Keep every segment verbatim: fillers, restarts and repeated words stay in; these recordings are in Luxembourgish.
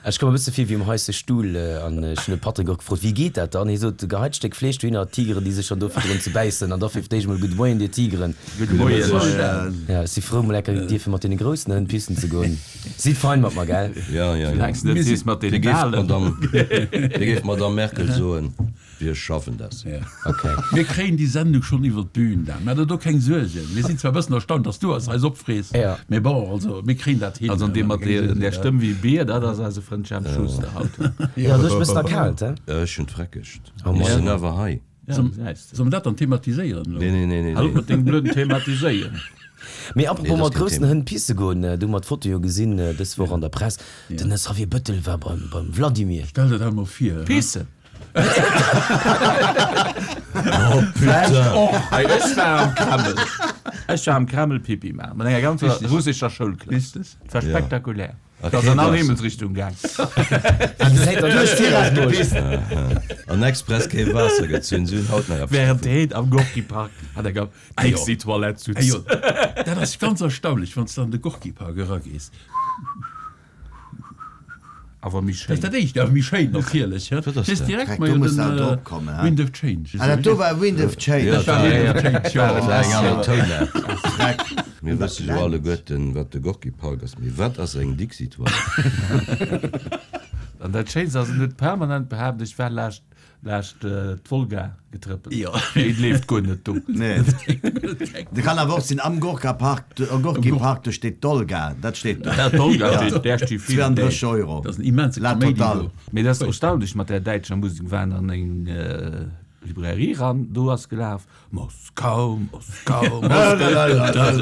Ech koum e bësse vir wéi um heisse Stuhl an ech hunn de Patrick och gefrot, wéi geet dat dann? Hie sot, geheit Stéck Fleesch dohinner, d'Tigeren déi sech schonn do virdrun ze bäissen an da fir d'éischt mol Gudde Moien dir Tigeren. Gudde Moien. Ja, ech si frou mol enker dierfe mat deene groussen Hënn pissen ze goen. Sidd fein mat mer, gell? Ja, ja, ja. Soulaangs de net sees mat deene Galen. Wéi géif d'Madame Merkel soen, Wir schaffen das. Okay. Mir kréien déi Sendung schonn iwwer d'Bühn, Dan. Maach der do keng Suergen. Mir sinn zwar e bëssen erstaunt, dass du eis eis opfrees, mee bon, also mir kréien dat hin. Also an dee mat där Stëmm wéi e Bier, dat ass eise Frënd Jemp Schuster haut. Jo, du hues e bëssen erkaalt, he? Ech hunn d'Freckegt. Ech sinn awer hei. Solle mer dat dann thematiséieren elo? Nee, nee, nee, nee. Hal op mat dengem blöden Thematiséieren. Mee apropos mat groussen Hënn pisse goen, du hu mer d'Foto jo gesinn dës Woch an der Press, den Xavier Bëttel war beim beim Vladimir. Stell der dat emol vir. Pissen? Oh putain! Hei, ech war am Kreml. Ech war am Kreml Pipi maachen mat enger ganzer russescher Schoulklass. Et war spektakulär. Et ass an all Himmelsrichtung gaang. An express kee Waasser gezunn, si hunn haut nach eppes Während dovun. heen am Gorki-Park an enger Dixi-Toilette sutz. Ajo, dat ass ganz erstaunlech, wann s de an de Gorki-Park eragees. Awer méi Dat schéin. ass dat éischt, awer méi schéin natierlech. Wat ass Dat ass dat? direkt Dreck, mei do muss den dat drop kommen, hä? Wind of Change. Ah, dat do war Wind of Change. Ja, Dat war Wind of Change, jo. Dat war eng aner Tounart. Dreck. Mir wësse jo alleguerten, wat de Gorki-Park ass, mee wat ass eng Dixi-Toilette? An dat Schéinst ass, en huet permanent behaapt, ech war laascht laascht d'Wolga getrëppelt. Jo. Mee et leeft guer net do. Nee. Dat kann awer och sinn, am Gorka-Park, Gorki-Park, do steet d'Olga, dat steet do. Dat d'Olga steet, där sti vill. zweiunddrësseg Euro. Dat ass en immense La Kaméidi totale. do. Mee dat ass erstaunlech mat där däitscher Musek. Waren an eng Librairie ran, do ass gelaf, Moskau, Moskau, Moskau.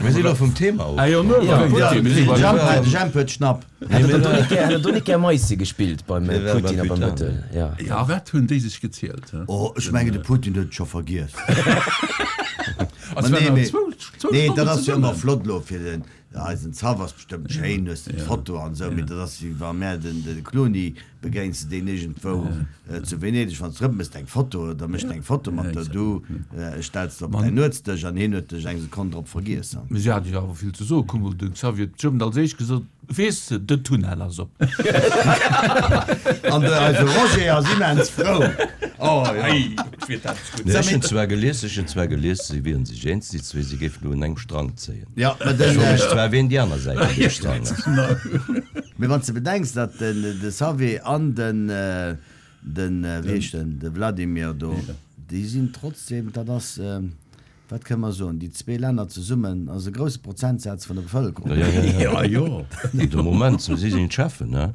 Mir sinn elo vum Thema Ah jo, ofkomm. no, Putin, mir si beim Jemp, Jemp huet Schnapp. Hätt der do net gär, hätt der do net gär Maissi gespillt beim Mir wären Putin a beim beim Putin. Bëttel? Ja. Ja, wat hunn déi sech gezielt, hä? Oh, ech mengen, de Putin huet et scho vergiess. Also Ma waren nee, nach mee, zwou, zwou nee, dat Stonnen ass jo ëmmer zesummen. flott elo fir den, eisen Zaff ass bestëmmt schéin, hues de d'Foto an esou, mee dat ass wéi wa mär den, de Clooney begéins de deen iergendwou zu Venedeg, wann s de erëm méchs eng Foto, da mécht eng Foto mat der, du stells de op däin Nuetsdësch an hien huet dech eng Sekonn drop vergiess. Mee si hat jo awer vill ze soen. Kuck mol, de Xavier huet bestëmmt als éischt gesot, Weess de, den Tunnel ass op. An de eise Roger ass immens frou. Oh jo. Ei, ech wier dat gutt. Nee, ech hunn zwar gelies, ech hunn zwar gelies, si wieren sech eens, déi zwee, si géifen elo un engem Strang zéien. Ja, mä Ech den, froe mech zwar, ween déi aner Säit vun deem Strang ass. Mee wann s de bedenks, datt den de Xavier an den den wéi heescht en, de Vladimir do, déi sinn trotzdem, dat ass, wat kënne mer soen, déi zwee Länner zesummen ass e grousse Prozentsaz vun der Bevëlkerung. Ja, ja, ja. Ja, jo. De Moment, si sinn d'Cheffen, ne?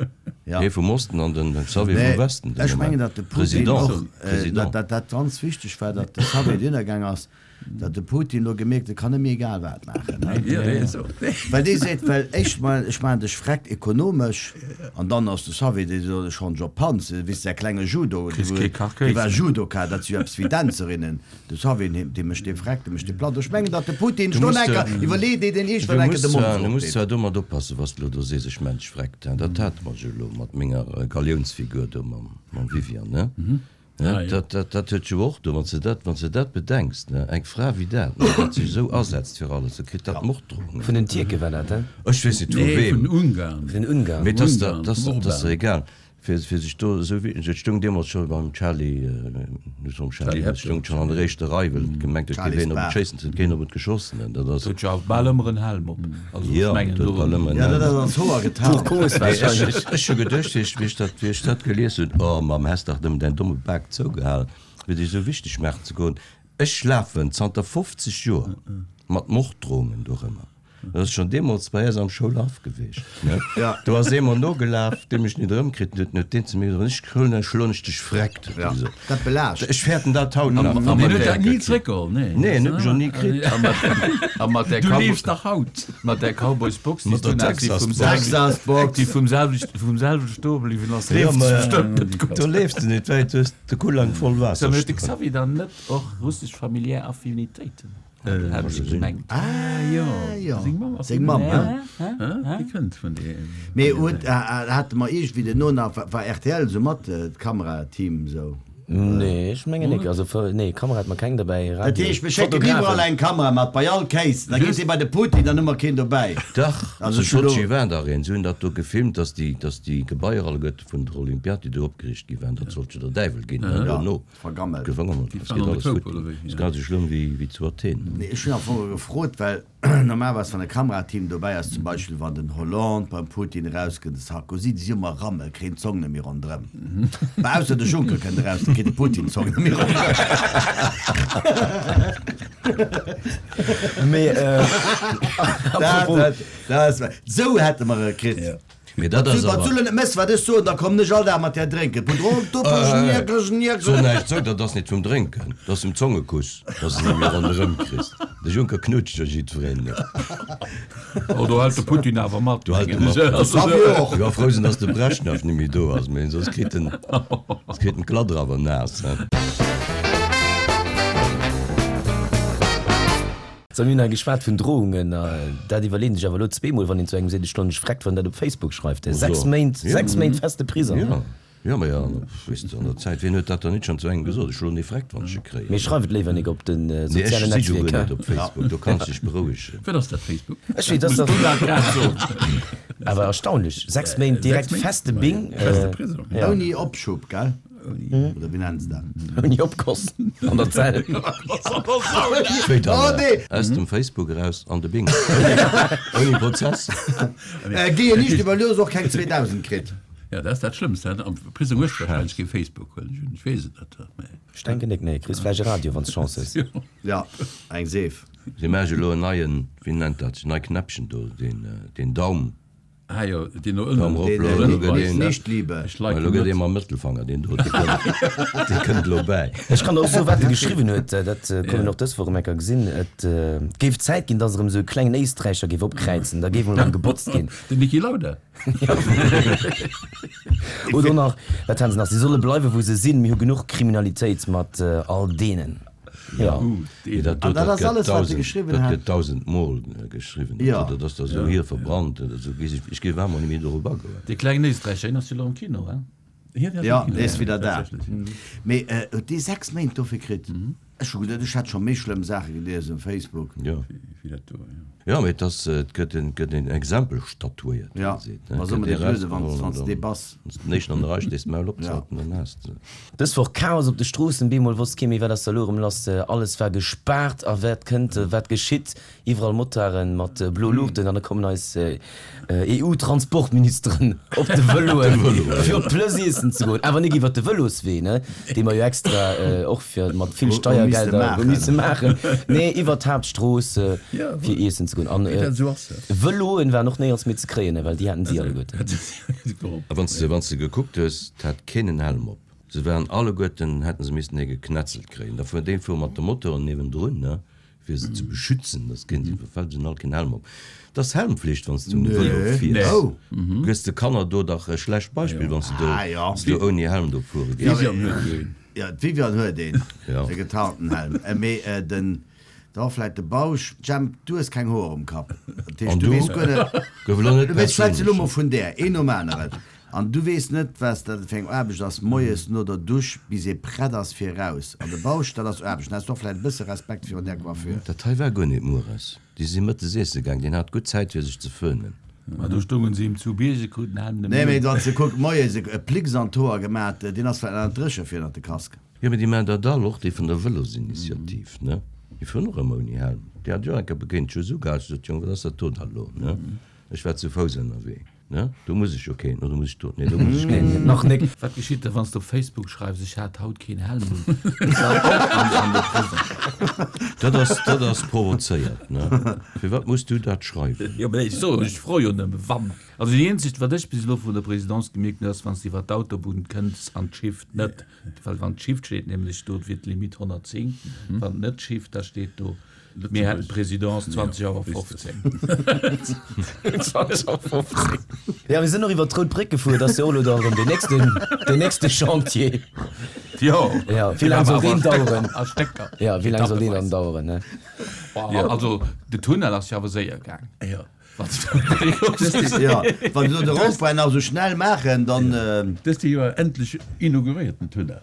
Ja. Hee vum Osten an den Xavier Nee, vum Westen. de ech mengen, Moment. datt de Putin President, och, datt President. dat dat ganz wichteg war, datt de Xavier dohinner gaang ass, datt de Putin elo gemierkt, e kann net méi egal wat maachen, ne? Ja, nee, esou. Well dee seet, well éischt mol, ech maachen dech freck ekonomesch, an dann ass de Xavier, dee sot, ech schonn op Panz, wéi säi klenge Judo, Kriss kee Kach dee war Kéis. Judoka, dat si jo eppes wéi Dänzerinnen, de Xavier, dee dee mécht dee freck, dee mécht dee platt. Ech mengen, datt de Putin Du schonn muss, enker iwwerleet, ier deen du iergendwann enker muss de Mond zwar, du muss opdeet. zwar domat oppassen, was de elo do sees, ech mensch freck, hein, dat hate mer jo elo mat menger Galiounsfigur do mam, mam Viviane, ne? Ah, Ne, jo. dat, dat, dat huet jo och do, wann s de dat, wann s de dat bedenks, ne, eng Fra wéi dat, ne, dat sech esou asetzt fir alles, da kritt dat Morddrohungen. Vun den Tierke war dat, he? Ech weess net vu Nee, weem. vun Ungarn. Vun den Ungarn. Mee dat ass der, Ungarn, dat ass, vum dat ass der Orban. egal, fir, fir sech do esou wéi, et stoung deemools scho beim Charlie, net beim Charlie, Charlie et Hebdo. stoung schonn an der éischter Rei, well et gemengt huet, géif Charlies een op et Bar. schéissen, et huet keen op et geschoss, ne, dat ass. Huet jo awer bal ëmmer en Helm op. Also ech Jo, mengen et huet do. bal ëmmer en Ja, dat Helm ass op. ans Hoer Pour getarnt. cause Mee ech, wahrscheinlech. ech hu geduecht, wéi ech, wéi ech dat, wéi ech dat gelies hunn, oh Mamm, häss dach nëmmen däin domme Bak zougehal, fir dech esou wichteg maachen ze goen. Ech lafen zanter fofzeg Joer mat Morddrohungen dorëmmer. Dat ass schonn deemools bei eis am Schoulhaff geweecht, ne? Ja. Do ass ee mer nogelaf, dee mech nit erëmkritt huet, huet deen zu mir gesot, Wann ech krölen, da schloen ech dech freck, huet e Ja, gesot. dat belaascht. Ech fäerten dat haut nach. An Deen mat huet där dat ni zréckgeholl, nee. Nee, en huet mech och ni kritt. A mat, a mat där Du Cowboy, liefs nach haut. mat där Cowboys Box, déi Mat der s du nach, déi vum Texas Box. selwechten, Texas Box. déi vum selwechten, vum selwechten do bliwwen ass, Ja, leeft ma bestëmmt net gutt. do leefs de net wäit, du hues de Kullang voll Waasser Sag mal, huet de stoen. Xavier dann net och russesch familiär Affinitéiten? Hat ech gemengt. Ah jo, jo. Seng Mamm ass Seng Mamm, Ja, ne? ja. Déi kënnt vun deem. Mee huet, hate mer iergendwéi den No nach, war R T L esou mat, d'Kamerateam esou? Nee, ech mengen nik. Also nee, Kamera hat mer keng derbäi. Dat Radio, heescht, mir schécken iwwerall Fotografen. eng Kamera mat, bei all Case. Da geet dee bei de Putin, dann hu mer keen dobäi. Dach, Also zu ech hu lo. Sotschi war dach een. Se hunn dat do gefilmt, dass déi, dass déi Gebaier alleguerte vun der Olympiad, déi do opgeriicht gi waren, dat sollt jo der Däiwel ginn, ne, Ja, dono. vergammelt. Vergammelt. Déi Es waren geet an der alles Koup, futti. oder wéi? Ass Ja. grad esou schlëmm wéi, wéi zu Athen. Nee, ech hunn am Fong gefrot, well normalerweis, wann e Kamerateam dobäi ass, zum Beispill wann den Hollande beim Putin erauskënnt, de Sarkozy, déi si ëmmer Rammel, kréien d'Zong net méi ronderëm. Bah, ausser de Juncker kënnt eraus, da kritt de Putin d'Zong net méi ronderëm. Mee, äh, Dat, apropos, dat, dat ass, sou hätte mer e kritt. Ja. Mee dat ass Wann awer. du lo net mëss, wat ech soen, da komm nech all Dag mat där drénken. So näischt sou, dat ass net vum Drénken, dat ass vum Zongekuss, dass de net méi ronderëm kriss. De Juncker knutscht jo jiddwereen. Oh, do hält de Putin awer mat. Do hält e mat. Hatt jo och. Jo, frou sinn, dass de Breschnew net méi do ass, mee soss kritt en, soss kritt en d'Gladder awer naass, he. So, mir hunn hei geschwat vun Drohungen. Dat iwwerleet een sech awer elo zweemol, wann een zu engem seet, ech schloen dech vreckt, wann dat op Facebook schreift. Sechs Méint, sechs Méint feste Prisong. Ja, ja, ma ja, weess de, an der Zäit, wien huet dat dann net schonn zu engem gesot, ech schloen dee vreckt, wann ech e kréien. Mee schreif et léiwer nik op de Nee, ech sozialen si jo guer Netzwierker. net op Facebook, do kanns de dech berouegen. Wat ass dat, Facebook? Ech weess, dat ass Dat grad soen. awer erstaunlech. Sechs Méint direkt Sechs Méint? feste Bing. Feste Prisong. Ja. Ouni Opschub, gell? Oder wéi nennen se dat? Ouni Opkoss an der Zell. Wéi dann, Oh, nee. Aus dem Facebook eraus an de Bing. Ouni Prozess. Äh, Gehe nicht iwwer lues och keng zweedausend kritt. Ja, dat ass dat Schlëmmst. Am Prisong hues du wahrscheinlech kee Facebook, well ech ech weess et net. Mee. Ech denken nik, nee. Kriss vläicht e Radio, wann s Chance hues. Ja, eng Seef. Si maache elo en neien, wéi nennt dat, nei Knäppchen do, deen, deen Daum. Ah jo, deen no ënnen. Daum erop, Deen, elo deen gëtt een, nicht liebe. Ech liken elo gëtt net. ee mam Mëttelfanger, deen do, dee kënnt, dee kënnt elo bäi. Ech kann der och soen, wat e geschriwwen huet, dat konnt een och dës Woch erëm eng Kéier gesinn. Et géif Zäit ginn, datt erëm esou e klengen Éisträicher géif opkräizen, da géif emol erëm gebotzt ginn. Den Niki Lauda. Oder nach, wat haten se nach, si solle bleiwen, wou se sinn, mir hu genuch Kriminalitéit mat all deenen. Ja. Nee, dat do, An dat dat ass gëtt alles, wat se tausend, geschriwwen dat hat. gëtt tausend Mol geschriwwen. Ja. Dat ass da sou hier verbrannt oder sou. Weess ech, ech géif awer net méi dorop agoen. Dee klengen Éisträicher, hien ass jo elo am Kino, hein? Hien ass Ja, am Kino, dee ass wieder da. Tatsächlech. Mee huet dee sechs Méint dofir kritt? Ech hu geduet, ech hätt scho méi schlëmm Saache gelies um Facebook. Ja. Wéi dat do, ja. Ja, mee et ass, et gëtt en, gëtt en Exempel statuéiert, wéi Ja, een seet, ne? ma soll Gëtt mer ee dat luesen, wann rausgeholl wann an s dann dee bass. wann s den éischten an der Rei stees, d'Maul opzehalten, dann has de. Dës Woch Chaos op de Stroossen, bemol wosst kee méi wat ass da elo erëm lass, alles war gespaart a wat kënnt, wat geschitt, iwwerall Motarden mat blo Luuchten an da kommen eis E U-Transportministeren op de Vëloen fir op d'Plëss iessen ze goen, awer nik iwwer de Vëloswee, ne, dee mer jo extra och fir mat vill Hu misste Steiergelder hu maachen. misse maachen, nee iwwer d'Haaptstrooss Ja, fir iessen ze goen. An Wéi dat esou ass, ja. Vëloen waren och néierens méi ze kréien, well déi haten si alleguerten. A wann s de, wann s de gekuckt hues, 't hat keen en Helm op. Se waren alleguerten, hätten se missen ee geknetzelt kréien. Da fuer deen fuer mat de Motoren niewendrun, ne, fir se ze beschützen, dass keen se iwwerfält, se hunn all keen Helm op. 't ass Helmflicht, wann s du um Vëlo fiers. Oh. Du gëss de Kanner do dach e schlecht Beispill, wann s de do, Ah, ja. s du ouni Helm do fuere gees. Vivian huet jo een. Ja, d'Vivian huet een, Ja. e getarnten Helm. Mee den, da war vläit de Bausch, Jemp, du hues keng Hoer um Kapp. Dat heescht, An du du? weess guer net, Gouf elo net du weess, schwätz elo perséinlech. mol vun där, een nom aneren. An du weess net, was dat fir eng Aarbecht ass, moies no der Dusch, bis ee prett ass fir raus. An de Bausch, dat ass Aarbecht. Dann has du och vläit e bësse Respekt virun där Coiffure. Dat hei war guer net mueres. Déi si mëttes iesse gaang, deen hat gutt Zäit fir sech ze föhnen. Ma do stoungen si ihm zu Bierge, kruten Helm net Nee, méi mee un. wann s de kuck, moies e Plicks an d'Hoer gemat, deen ass vläit nach net dréche fir ënnert de Casque. Jo, mee déi maachen dat all, och déi vun der Vëlosinitiativ, ne? Déi fueren och ëmmer ouni Helm. Déi hat jo eng Kéier begéint, ech hu se ugehat, ech sot, Jong, wat ass dat do da lo, ne? Ech war zu Fouss ënnerwee, ne? Do muss ech jo keen, oder muss ech do, nee, do muss ech keen. Nach nik. Wat geschitt da, wann s du op Facebook schreifs, ech hat haut keen Helm un? Ist dat och an, an der Prisong? Dat ass, dat ass provozéiert, ne? Firwat muss du dat schreiwen? Jo, mee ech so, ech fro jo nëmme wann. Also déi eenzegt, wat ech bis elo vun der Présidence gemierkt hunn, ass, wann s du iwwer d'Autobunn kënns an d'Schiff net, well wann d'Schiff steet nämlech do, wier d'Limit honnertzéng, wann net d'Schiff, da steet do, mir hätten d'Présidence zwanzeg Auer fofzéng. zwanzeg Auer fofzéng. Ja, mir sinn och iwwer d'Rout Bréck gefuer, dat ass jo och elo dann erëm deen nächsten, deen nächste Chantier. Jo. Ja, wéi laang soll deen daueren? A Stécker. Ja, wéi laang soll deen dann daueren, ne? Ja. Also, de Tunnel ass jo awer séier gaang. Ja. Ja, wann se de Rondpoint nach sou schnell maachen, dann. Dëst Joer endlech inauguréiert den Tunnel.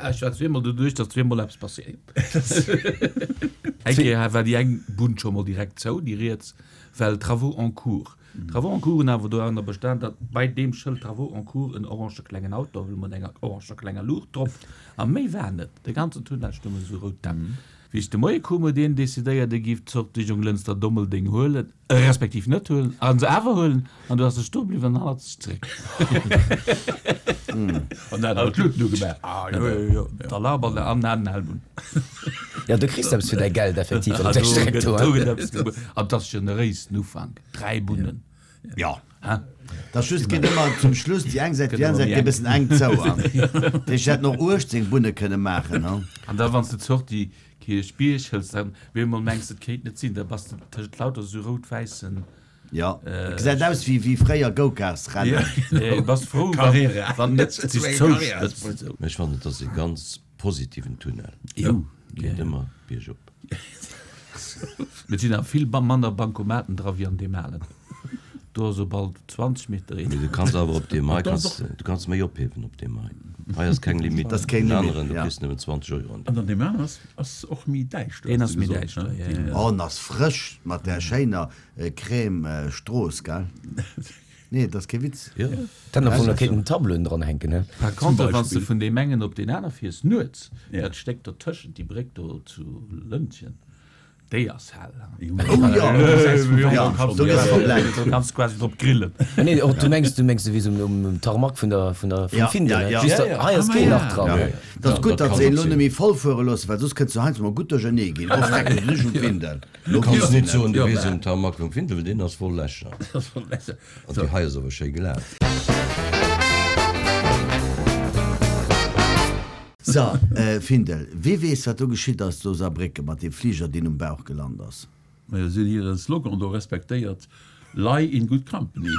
Ech war zweemol doduerch, datt zweemol eppes passéiert. Eng Kéier war déi eng Bunn scho mol direkt zou, déi riets, well Travaux en cours. Travaux en cours hunn awer doranner bestan, datt bei deem Schëld Travaux en cours en orange klengen Auto mat enger orange klenger Luucht drop a méi war net. De ganzen Tunnel stounge sou rout Dämp. Wéi ech de Moie koum, huet een decidéiert, e giff d'Zort Richtung Lënster-Dommeldeng huelen, respektiv net huelen, a se awer huelen, an du ass e stoe bliwwen an hannerzeg zeréck. An dat hat d'Luuten ugemaach. Ah, jo, jo, jo, d'Alarm an an den Helm un. Jo, du kriss eppes fir däi Geld effektiv op Ah, där do Streck gëtt, do, do hein. gëtt eppes gebuer. An 't ass generéis den Ufank, dräi Bunnen. Jo. Hein? Dat ass just, geet ëmmer zum Schluss déi eng Säit, Gëtt déi aner ëmmer Säit méi geet e enk. bëssen enk zou. An ech hätt nach uechtzéng Bunne kënne maachen, hein. An da wann s de d'Sortie Kierchbierg hëls, dann bemol mengs de, et kéint net sinn, da bass de tëschent lauter sou rout-wäissen. Jo, et gesäit aus wéi wéi fréier Go-Karts-Rennen. Ja, bass frou, wann Carrera. wann net sech zouspëtzt. Mä ech fannen, et ass e ganz positiven Tunnel. Jo. Geet ëmmer biergop. Et sinn awer vill manner Bancomaten dra wéi an deem alen. Do ass op all zwanzeg Meter een. Mee du kanns awer op deem hei kanns du kanns méi ophiewen op deem hei. Hei ass keng Limite. Dat ass keng Den Limite, aneren, du ja. kriss nëmmen zwanzeg Euro an An an deem aneren ass ass och méi däischter, Deen hues ass du méi gesot, däischter, ne? ja, Deen, ja. Oh, en ass frësch mat där schéiner Crème Strooss, gell? Nee, dat ass kee Witz. Jo. Dann am Fong, da kéinten Tableauen dran hänken, ne? Par contre, wann s de Beispill. vun deem engen op deen aner fiers, nuets, Ja. dat Stéck dotëschent, déi Bréck do zu Lëntgen, déi ass hell. Oh jo, jo, do gëss de verblennt. Do kanns de quasi drop grillen. Ah nee, och du mengs, du mengs souwéi um, um Tarmac vun der, vun der, vum Ja, Findel, ja, ne? ja. Just Ja, da, ja. hei ass Ah, keen ja. Lach dran. Ja. Dat ass Ja, gutt, dat datt kann se een elo och net sinn. méi voll fuere loossen, well soss kënnt se heiansdo mol gutt duerchernee ginn. Oh, freck, du sinn ech um Findel. Du kanns net soen, du Ja, wiers mä- um Tarmac vum Findel, well deen ass voll Lächer. ass voll Lächer. An déi hei ass awer schéi glat. So, äh, Findel, wie weess, wat do geschitt ass zu Saarbrécken mat deem Fliger, deen um Bauch gelant ass? Mä si hunn hire Slogan do respektéiert, Lie in good company.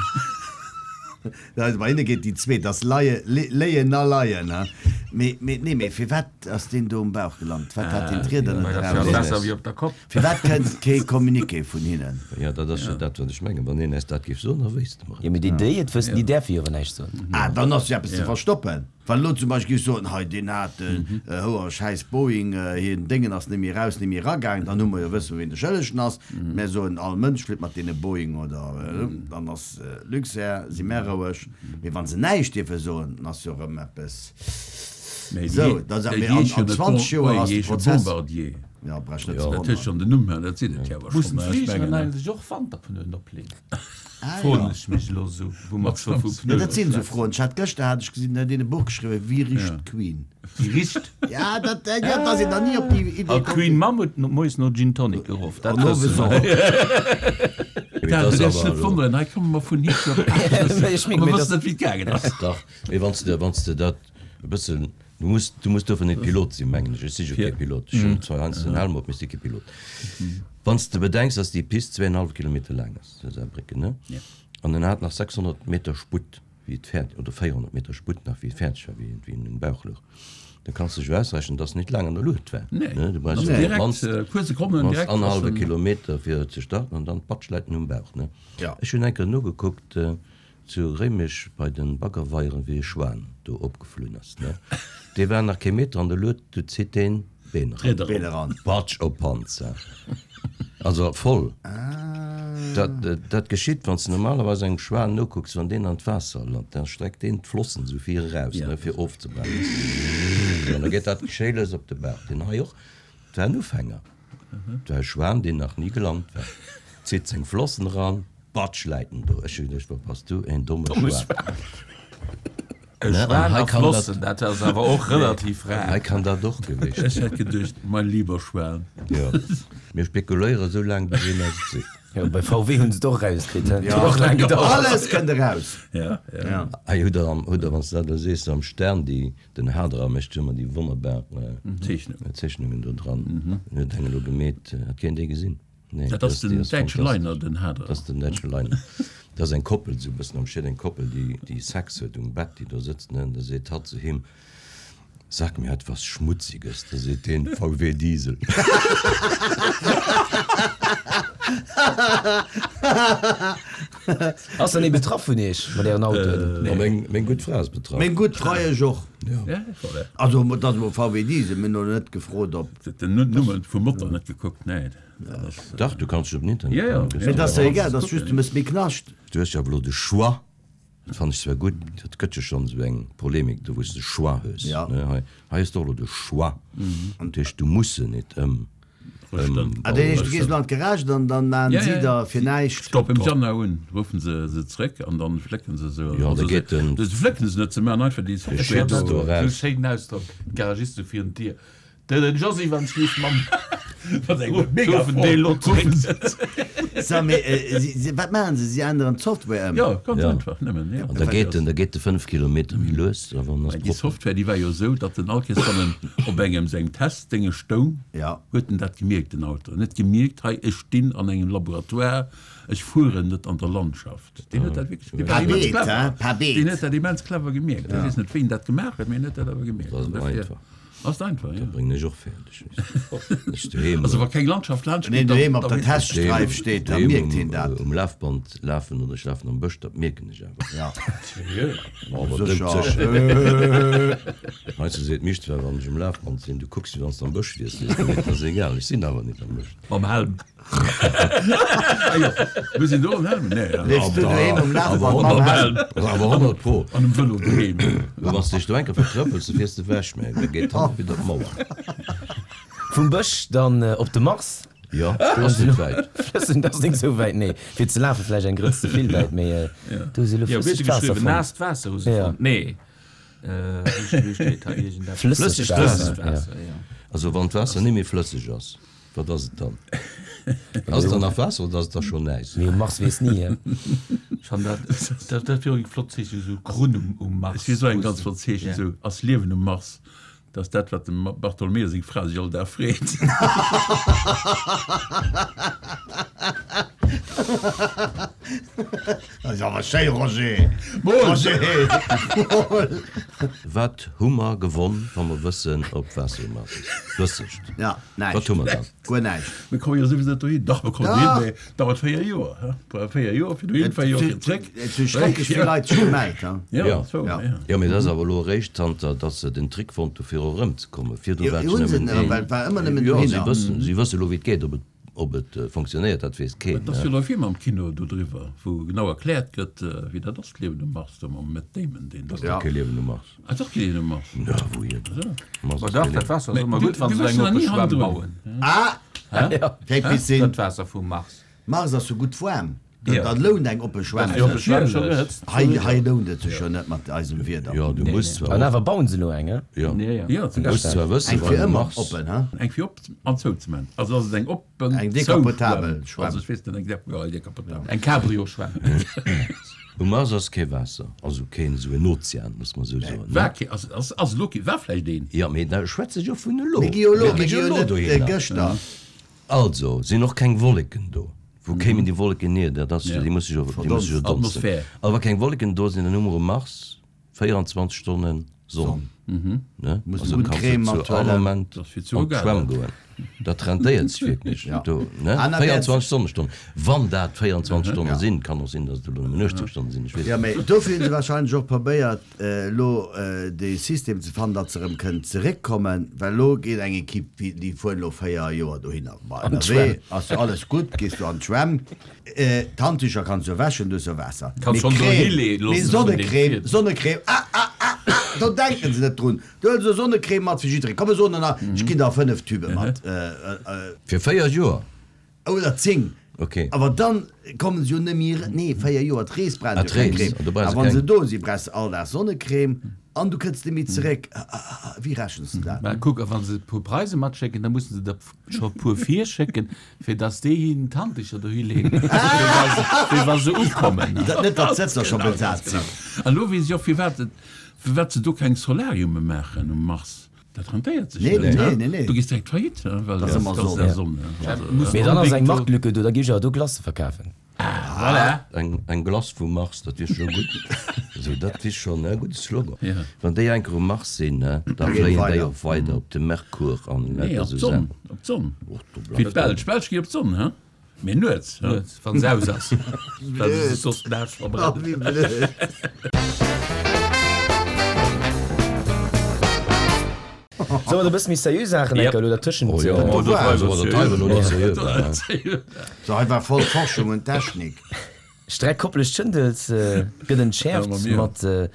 Also bei hinne geet déi zweet, ass leie, le, léien a leien, he? Mee, mee, nee, mee firwat ass deen do um Bauch gelant? Wat hat deen d'Rieder net Mä dat ass eraus? besser wéi op der Kopp. Firwat kënnt kee Communiqué vun hinnen? Ja, dat ass jo dat, wat ech mengen. Wann een eis dat géif soen, da wéisste mer et. Jo, mee déi, déi et wëssen, déi däerfe jo awer näischt soen. Ah, dann ass jo eppes ze verstoppen. Wann elo zum Beispill géif soen, hei deen hat den houer schäiss Boeing, hien Déngen ass net méi raus, net méi eragaang, dann hu mer jo wësse wien de Schëllegen ass. Mär soen, all Mënsch flitt mat deene Boeing oder dann ass Luxair, si mär roueg. Mee wann se näischt dierfe soen, dann ass jo erëm eppes. Mee Sou, déi- da sag déi mir, an heeschen an net zwanzeg Bon- Joer déi ass de heesche Prozess. Bombardier. Ja, brauch net Ja. ze Dat huet schonn wonneren. den Numm, dat sinn et jo awer Mussen schonn, ech d'Fligeren mengen, ne? eigentlech och Wanterpneuen opleeën? Ah, Froen ja. ech mech elo sou, wou mer scho vu Ja, Pneuen dat sinn sou schwätzen. Froen. Ech hat gëschter hat ech gesinn, huet een e Buch geschriwwen, Wie riecht d'Queen? Wie riecht? Ja, dat, ja, da sinn der ni op déi Idee A komm. Queen Mam huet no, moies no Gin Tonic geruff. Dat An owes wësse och. mer. Mee Dat dat ass ass awer net elo- wonneren, hei komme mer vun Hitler op Ech meng, Mer mee wëssen dat- net, wéi et gaangen ass. Dach, mee wann s de, wann s de dat e bëssen, du muss, du muss dofir net Pilot sinn, mengen ech. Ech si jo kee Pilot. Ech hunn zwar heiansdo den Helm op, mee ech si kee Pilot. Wann s de bedenks, dass déi Pist zweieinhalb Kilometer laang ass, zu Saarbrécken, ne? Ja. An en hat nach sechshonnert Meter Sputt, wéi et fäert, oder véierhonnert Meter Sputt nach, wéi et fäerdeg war, wéi, wéi en um Bauch louch. Da kanns du dech jo ausrechnen, dass net laang an der Luucht war. Nee. Ne? Du brauchst Also jo op direkt, d'mannst, äh, puer Sekonnen d'mannst direkt annerhallwe ass en- Kilometer fir ze starten an dann patsch läit en um Bauch, ne? Ja. Ech hunn eng Kéier nogekuckt, äh, zu Réimech bei den Baggerweieren, wéi e Schwan do opgeflunn ass, ne? Dee war nach kee Meter an der Luucht, du zitt deen Been eran. D'Rieder Been eran. Patsch op Panzer. Also voll. Dat, dat geschitt, wann du normalerweis engem Schwan nokucks, wann deen an d'Waasser lant, dann streckt deen d'Flossen sou vir eraus, Ja. ne, fir ofzebremsen. An da geet dat Geschéiles op de Bauch. Den hei och, dat war en Ufänger. Dat war e Schwan, deen nach ni gelant war. Zitt seng Flossen eran, patsch, läit en do. Ech hu geduecht, wat bass du, een domme Schwan. E Ne, an Schwan hei a kann dat- Flossen, dat ass awer och relativ Hei rar. kann dat och gewiescht Ech sinn. hätt geduecht, mein lieber Schwan. Ja. Mir spekuléiere sou laang, bis een eis et seet. Jo, bei V W hunn se et och rauskritt, he? Ja. Huet och laang gedauert. Alles kënnt eraus. Ja, ja. Ja. Hei hutt der am, hutt der, wann s du dat elo sees, am Stern déi, den Haderer mécht jo ëmmer déi wonnerbar, äh, Zeechnungen. Zeechnungen do dran. En huet eng elo gemeet, hat keen déi gesinn? Nee, Dat ass déi den ass däitsche fantastesch. Liner, den Haderer. Dat ass den däitsche Liner. Dat ass eng Koppel, sou e bëssen am Schied, eng Koppel, déi, déi Sex huet um Bett, déi do sëtzt, ne? An da seet hatt zu him, Sag mir etwas Schmutziges, da seet deen VW Diesel. Ass dann ee betraff vun iech mat ären Autoen? Ma meng, meng gutt Fra ass betraff. Meng gutt Fra ech och. Ja, voilà. Also et ass emol VW Diesel, mir hunn elo net gefrot ob. Den Numm vum Motor net gekuckt, nee. Dat ass. Dach, du kanns dech op den Internet. Ja, ja. Mee et ass jo egal, et ass just, du méchs méi Knascht. Du hues jo awer elo de Choix. Dat fannen ech zwar gutt, dat gëtt jo schonn esou eng Polemik do, wou s de Choix hues. Ja. Ne, hei, hei hues de och elo de Choix. Dat heescht, du muss se net ëm, ëm. Ah, dat heescht, du gees elo an d'Garage, dann, dann maachen Ja, si ja. der fir näischt. Stopp im Januar un, ruffen se se zréck an dann flécken se se. Ja, da geet den. Se flécken se net, se maachen einfach déi De Schätz do Esou eraus. schéinen Ausdrock, d'Garagiste virun d'Dier. Den Josy wann schlieft mam Wat eng mega Deel lo zréck. So, mee, äh, si, si, wat maachen se? Si änneren d'Software ëm? Ja, ganz Ja. einfach nëmmen. Ja. An da geet den, da geet de fënnef Kilometer méi lues, a wann ass Déi propper. Software, déi war jo esou, datt den all Kees, wann en op engem sengem Testdénge stoung, Ja. huet en dat gemierkt, den Auto. En huet gemierkt, hei, ech stinn an engem Laboratoire, ech fueren net an der Landschaft. Deen huet dat wierklech, dee war Paar immens Beet, clever. hein? Paar Beet. Deen huet dat immens clever gemierkt. Ech weess net, wéi en dat gemaach huet, mee en huet dat awer gemierkt. Dat ass An dofir einfach. Ass einfach, ja. Dat bréngen ech och fäerdeg. Ech doheem. Also wa keng Landschaft laanscht Wann een geet, dann, doheem op da der weess ech. Teststreif steet, da doheem mierkt um, hien dat. um Lafband lafen oder ech lafen am Bësch, dat mierken ech awer. Ja. Awer Sécher. doudsécher. Heiansdo seet d'Misch zwar, wann ech um Lafband sinn, du kucks wéi wann s de am Bësch wiers, seet se, mee et ass egal, ech sinn awer net am Bësch. Mam Helm. Ah jo, mir sinn do am Helm, nee. Ja. Leefs du doheem um Awer Lafband mam Helm? awer honnert pro. An um Vëlo doheem. Wann s de dech do eng Kéier vertrëppels, da fiers de ewech, mä da geet d'Hand wieder op d'Mauer. Vum Bësch dann op de Mars. Jo, ass net wäit. Flëssen, dat ass net esou wäit, nee. Fir ze lafe vläicht eng Grëtz ze vill wäit, mee do hu se elo Jo, wéi huet flëssegt se Waasser geschriwwen? fonnt. Naasst Waasser hu se Ja. fonnt. Nee. Wéi wéi steet hei iergendeppes? Flëssegt Flëssegt Waasser, Flëssegt ja. Waasser, ja. Also wann d'Waasser net méi flësseg ass, wat ass et dann? Ass et dann nach Waasser oder ass et da schonn Näis? Mee um Mars weess ni, hä? Ech fannen dat, dat, dat wier och eng flott Zeechnung, esou Grunn um, um Mars. Et wier esou eng ganz flott Zeechnung, Ja. esou ass Liewen um Mars. Dat ass dat, wat dem Bartolomeo seng Fra sech all Dag freet. Dat ass awer schéi, Roger. Mol! Roger! Mol! Wat hu mer gewonn, wa mer wëssen, ob Waasser um Mars ass? Flëssegt. Ja, Wat näischt. hu mer dann? Guer näischt. Mir komme jo souwisou net dohin. Dach, mer kommen Dach. dohin, mee dauert véier Joer, hä? Brauch véier Joer fir dohin, véier Joer fir zréck. Et hu schrecklech vill Leit sech gemellt, he? Ja, Ja. dat war, Ja. ja. Jo, mee dat ass awer elo eréischt zanter, datt se den Trick fonnt hu fir erëmzekommen. Virdru Jo, war et hunn se nëmmen net, een. well et war ëmmer nëmmen Jo, si dohinner. wëssen, si wësse elo, wéi et geet. Ob et, ob et fonctionnéiert, dat weess keen, Et ass ne? jo elo e Film am Kino do driwwer, wou genau erkläert gëtt, wéi dat ass, d'Liewen um Mars, do mam Matt Damon, deen do. Ass dach kee Liewen um Mars. Ah, dach kee Liewen um Mars. Na, wouhier? Mars Ma ass dach, kee dat Liewen. Waasser ass Mee ëmmer du- gutt, wann du se wëss eng jo nach oppe ni Schwämm hannendrun. bauen. Ah! Ja. Keng Piscine. Dat Waasser vum Mars. Mars ass sou gutt waarm. Ja. Da lount eng oppe Schwämm. Déi oppe Schwämm scho Natierlech. gehëtzt. Hei, hei lount et sech jo net mat eisem Wieder. Jo, du Nee, muss nee. zwar An och, awer bauen se elo eng, he? jo, Ja, ja. Ja, zum du muss Beispill. zwar wëssen, Eng wann fir um ëmmer Mars. oppen, he? Eng fir op an zou ze man. Also ass et eng oppen Eng decapotabel Zouschwämm. Schwämm. Also ech weess net, eng de ja, eng decapotabel. Eng Cabrio-Schwämm. Um Mars ass kee Waasser, also keen esou en Ozean, muss mer esou soen, ne? War kee, ass, ass, ass elo kee, war vläicht een. Ja, mee da schwätze ech jo vun elo. Mir gi jo elo, Mir mir gi gi jo jo elo net äh, dohinner. gëschter. Also, sinn och keng Wolleken do. Wou kéimen déi Wolleken hier? Dat ass, Ja. déi musse jo, déi musse jo donsten. Atmosphär. A wa keng Wolleken do sinn, dann hu mer um Mars véierundzwanzeg Stonnen Sonn. Ne? Muss Also gutt kannst du Creme zu all mathuelen. Moment Das ass fir zu an egal. d'Schwämm goen. Dat rentéiert sech wierklech. Ja. Do, ne? An da wäert- véierundzwanzeg Sonnestonnen. Wann dat véierundzwanzeg Stonne Ja. sinn, kann och sinn, dass et elo nëmmen achtzehn Stonne sinn, ech weess Ja, net. mee dofir hunn se wahrscheinlech och probéiert, elo dee System ze fannen, datt se erëm kënnen zeréckkommen, well elo geet eng Ekipp, déi, déi fueren elo véier Joer dohinner. Bah, An ënnerwee d'Schwämm. ass jo alles gutt, gees du an d'Schwämm, d'Handtücher kanns du wäschen, du hues jo Waasser. Kanns Mee schonn Crème, dohi lee mee loossen vun deem Sonnecrème, Fied. Sonnecrème, ah, ah, ah, ah, do denken se net drun. Du huels jo Sonnecrème mat fir jidderee. Komm, mir soen der, ech ginn der fënnef Tübe mat. Fir véier Joer? Oder zéng. Okay. Awer dann kommen se jo net méi, nee, véier Joer, d'Rees brauchen Ah, se jo keng d'Rees, Crème. do brauchen A se wann keng. se do si, brauchs de all Dag Sonnecrème an du kënns net méi zeréck. Ah, ah, ah, wéi rechens de dat? Mä kuck, a wann se e puer Preise matschécken, da mussen se der scho e puer virschécken, fir dass déi hinnen d'Handdicher dohi leeën, fir wa se, fir wa se ukommen. Dat net, datt d'Sëtzer scho besat sinn. An elo weess ech och, firwat et, firwat se do keng Solariume maachen um Mars. Dat rentéiert sech Nee, net, nee, ne? nee, nee. Du gehst direkt faillite, ne? Well Das das ass ëmmer das Sonn. der Sonne. Also, Muss Mee dann ass eng unbedingt do- Marktlücke do, da gi ech awer do Glacë verkafen. Voilà. Eng, eng Glace vum Mars, dat wier scho gutt. Also dat wier schonn e gudde Slogan. Ja. Wann déi eng Kéier um Mars sinn, ne, da geet fléien déi weider. och weider op de Merkur an Nee, lauter op esou d'Sonn. Saachen. Op d'Sonn. Och do Wéi bleift d'Belsch. D'Belsch gi op d'Sonn, he? Mee nuets, he? Nuets, wann se aus ass. Well se sech soss den Aarsch Oh, verbrennen. wéi blöd. Solle mer e bësse méi seriö Saachen Yep. enker elo dertëschent? Oh jo, äh, oh, dat war dat hei war lo net seriö war, he? So, hei war voll Forschung und Technik. Streck Koppelech Schëndels äh, gëtt entschärft Ja, ma mir. mat äh,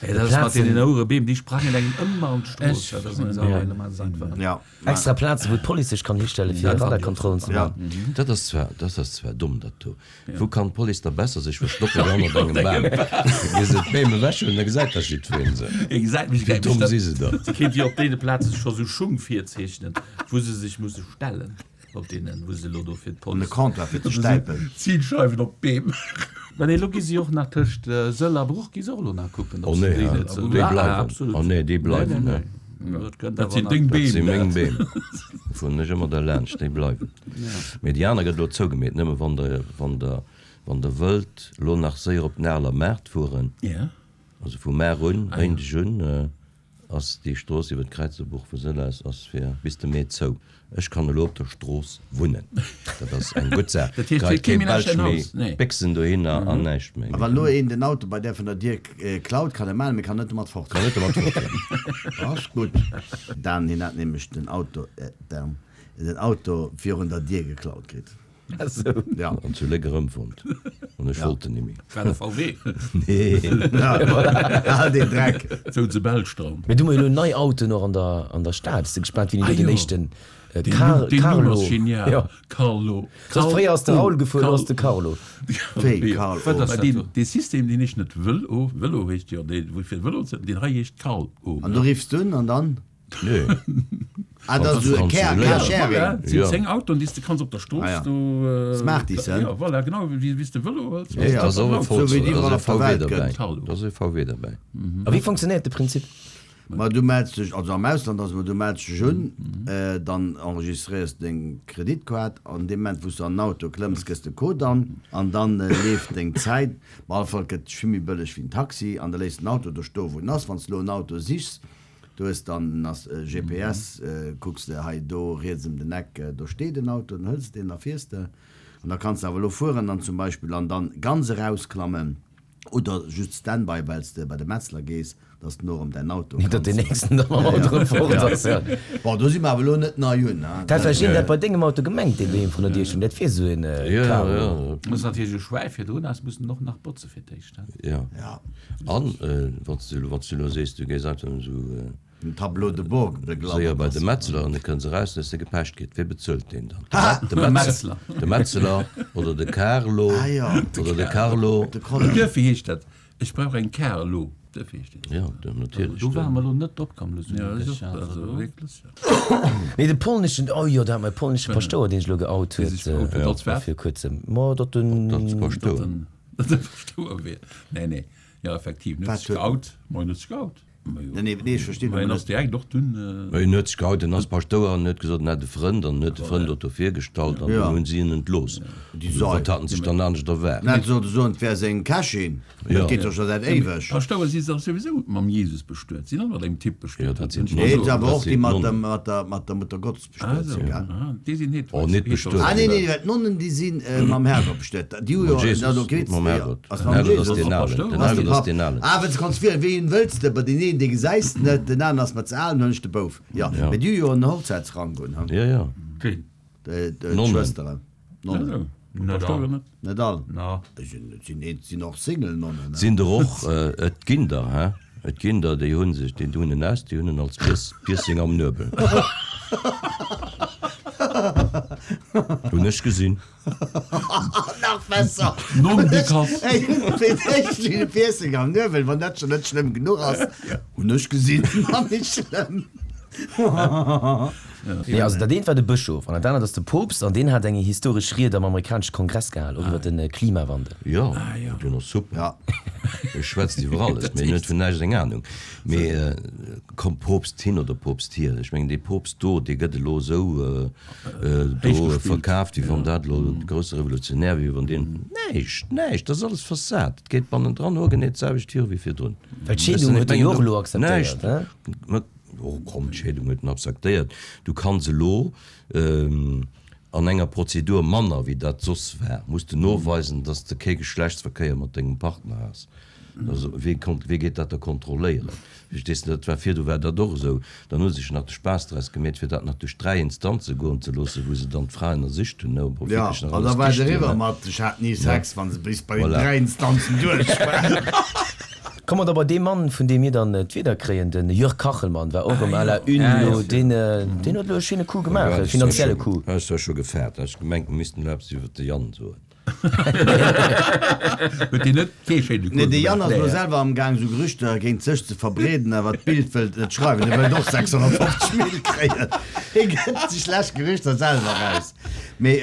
Ey, dat ass mat Plazen, deenen ouere Beem, déi sprangen engem ëmmer an d'Strooss. Ech- Dat ass eng Saach, ey, dat ass einfach. Ja. extra Plazen, wou d'Police sech kann histelle fir Ja. Radarkontrollen ze Ja. maachen. Dat ass zwar, dat ass zwar domm, dat do. Wou kann d'Police da besser sech verstoppen wéi hannert engem Bam? Gi se d'Beem ewech hunn, da gesäit da jiddwereen se. Ihr gesäit mech Wéi domm si se da? Se kéint jo op deene Plaze scho sou Schung virzeechnen, wou se sech musse stellen, op deenen, wou se elo do fir An de d'Police. Comptoir fir ze stäipen. Zielscheiwen op d'Beem. Mä nee, elo gi si och nach tëscht Sëll a Bruch gi se och elo nach kucken, ob Oh se nee, déi ja. net sou. Déi Ah, bleiwen. absolut. Oh nee, déi Nee, bleiwen, nee, ne. nee. Dat kënnt Dat awer sinn nach. deng Dat si Beem, meng dat. Beem. Fueren ech ëmmer derlaanscht, déi bleiwen. Mee déi aner gëtt elo zougemeet, nëmme wann der, wann der, wann der wëllt elo nach séier op den Areler Maart fueren, Ja. also vu mar un, Ah, ja. Méindeg un, äh, ass déi Strooss iwwer d'Kräizerbuch vu Sëll aus ass fir bis de Mee zou. Ech kann elo op der Strooss wunnen. Dat ass eng gutt Saach. Dat heescht, Grad fir kee kee méi nach Belsch dein méi Haus? Nee. Béchsen dohinner an näischt méi. A wann elo een den Auto bei där vun der Dier klaut, kann e maachen, mee kann net domat fort. Kann net domat fort. Ass gutt. Dan, hien hat nämlech den Auto, äh, Dan, den Auto virun der Dier geklaut kritt. Also, Ja. An zu Léck erëmfonnt. An ech wollt en nimmi. War de V W. Nee. Al deen Dreck. Sou ze Belsch dran. Mee du hu mer elo nei Autoen och an der, an der Stad. Bist du gespaant, wéini Ah, do den jo. éischten äh, Den Car Numm- den Numm Carlo. ass genial. Ja. Carlo. Soss fréier ass de Raoul gefuer, elo ass de Carlo. Carlo. Wéi, Carlo? Wat ass Mä dat deen, do? dee System, deen heescht net Vëlo, Vëlo heescht jo, dee, wou fir Vëlo ze, deen hei heescht Carlo. An du riffs du un an dann? Nee. Ah, dat ass esou Car, Ja, Carsharing. Voilà, et sinn Ja. zéng Autoen, déi s de kanns op der Strooss Ah, ja. do, äh, Smarties, hè? Ja, voilà, genau, wéi, wéi s de Vëlo hëls. Ja, ja. Da ass och e So wéi déi da iwwerall ass e op der V W Welt derbäi. gëtt. Carlo. Da ass e V W derbäi. A wéi funktionéiert de Prinzip? Ma du mells dech, also am Ausland ass et, du mells dech un, äh, dann enregistréiers de deng Kreditkaart an deem Moment, wou s du an den Auto klëmms, gëss de Code an an dann äh, leeft deng Zäit. Op alle Fall gëtt vill méi bëlleg wéi en Taxi an da léiss den Auto do stoen, wou en ass. Wann s du elo en Auto sichs, du hues dann ass äh, G P S, äh, kucks de hei do riets ëm den Eck, äh, do steet en Auto, dann hëls de deen, da fiers de. An da kanns de awer elo fueren dann zum Beispill an dann ganz erausklammen oder just Standby, well s de bei de Metzler gees, dass du no erëm däin Auto Nicht, datt kanns. den nächsten da mam Auto erëm fort ass, ja. Bon, do si mer awer elo net nei un, ne? Dat vläicht een dat bei dengem Auto gemengt, deen doheem vrun der Dier stoung. Dat wier esou en äh, Ja, Carlo. ja. Muss natierlech e Schwäi virdrun ass, muss en och nach botze fir d'éischt, ne? Ja. Ja. An, äh, wann s du, wann s du elo sees, du gees einfach esou, äh, Den Tableau de bord séier bei beglaubert de ass. Metzler an de kënns eraus, dass de gepecht kritt. Wie bezuelt deen dann? Ha! De De Metzler. Metzler. De Metzler oder de Carlo. Ah, ja. Oder de Carlo. De Colin. Duerfir heescht dat, ech brauch eng Carlo. Duerfir heescht dat. Ja, de, natierlech. Do ware mer elo net opkomm, elo sou Ja, denke dat ech, ass och, also also do. wierklech, ja. Nee, de polneschen, oh jo, da hat mer e polnesche Paschtouer, deen sech elo geout Dee huet, sech geout huet äh, als wat? vir kuerzem. Ma, datt den. Dat Dat Paschtouer. en, dat e Paschtouer wier. Nee, nee. Ja, effektiv. Net Wat sech huet- geout, ma net sech geout. Ma jo. Nee, nee, nee, ech verstinn Ma en nëmmen ass net. direkt och dunn, äh, Ma en huet sech geout, en ass Paschtouer an huet gesot, en hätt e Frënd an huet de Frënd dort virgestallt an Ja. dann hunn si en entlooss. Déi Also, Sei. wat haten sech dann anescht erwaart? Net sollte soen, et wär seng Kächin. Ja. Dat geet doch scho säit éiweg. Paschtouer si dach souwisou mam Jesus bestuet, sinn all mat engem Typ bestuet. Ja, dat sinn Nee, Nonnen. et awer Dat och déi sinn mat Nonnen. dem, mat der, mat der Mutter Gottes Ah, bestuet so. sinn, gell? Ah, déi sinn het, Oh, net bestuet. Ah, nee, nee, well d'Nonnen, déi sinn äh, mam Herrgott bestuet. Déi hu Mam jo, Jesus, na, do geht's, mam ja. Herrgott. Ass Den mam Herrgott ass Jesus. deen Alen. Paschtouer? Den Ass de Herrgott ass Papp. deen Alen. Ah, well du kanns wielen, ween wëlls de, bei den een, dee gesäis de net, den aneren ass mer ze al, dann hunn ech de Bouf. Ja, Ja. mee déi hu jo en Hochzäitsrank un, hm? Ja, ja. Ween? De, de Nonnen. Schwësteren. Nonnen. Net Paschtouer all. net. Net all. Na. Et sinn, et sinn, et sinn och Single Nonnen, ne? Sinn der och, äh, et ginn der, hä? Et ginn der, déi hunn sech, déi hunn en aus, déi hunn en als Piers, Piercing am Nuebel. Hunn ech gesinn. Nach besser. Nom de Kass. Ey, fir d'éischt wéi de Piercing am Nuebel, wann dat schon net schlëmm genuch ass. Hunn ech gesinn, war nicht schlëmm. Nee, also dat eent war de Bëschof an dat anert ass de Poopst an deen hat eng historesch Ried am amerikanesche Kongress gehal, och iwwer de Klimawandel. Jo, dat ass super. Ja. E schwätzt iwwer alles, mee en huet vun näischt eng Anung. Mee komm, Poopst hin oder Poopst hier, ech mengen dee Poopst do, dee gëtt elo esou do verkaaft, wéi wann dat elo de grousse Revolutionär wier, wéi wann deen näischt, näischt, dat ass alles Fassad, et geet bannendran hoergenee d'selwecht viru wéi virdrun. Well d'Scheedung huet e jo och elo akzeptéiert, ne? Näischt. Oh komm, d'Scheedung huet en akzeptéiert. Du kanns elo an enger Prozedur manner wéi dat soss war, muss de noweisen, dass de kee Geschlechtsverkéier mat dengem Partner has. Also wee konnt, wee geet dat da kontrolléieren? Verstees de, dat war virdu war dat och esou. Dann hu se sech nach de Spaass draus gemeet, fir dat nach duerch dräi Instanze goen ze loossen, wou se dann d'Fra ënnersicht hunn, ne, ob och Ja, wierklech nach an da alles war et dicht wier, eriwwer ne. mat ech hat ni Sex, wa se bis bei den Voilà. dräi Instanzen duerch war. Komme mer da bei dee Mann, vun deem mir dann d'Wieder kréien, de Jörg Kachelmann war och erëm à la une elo. Deen, deen huet elo e schéine Coup gemaach, e finanzielle Coup. Hat ech zwar scho gefaart, hat ech gemengt, mer missten elo eppes iwwer de Yann soen. Huet deen net kee schéine Coup Nee, de Yann gemaach? ass elo selwer am Gaang, esou Gerüchter géint sech ze verbreeden, awer d'Bild wëllt et net schreiwen. E wëllt och sechshonnertfofzeg Mille kréien. Hie gëtt déi schlecht Gerüchter selwer eraus. Mee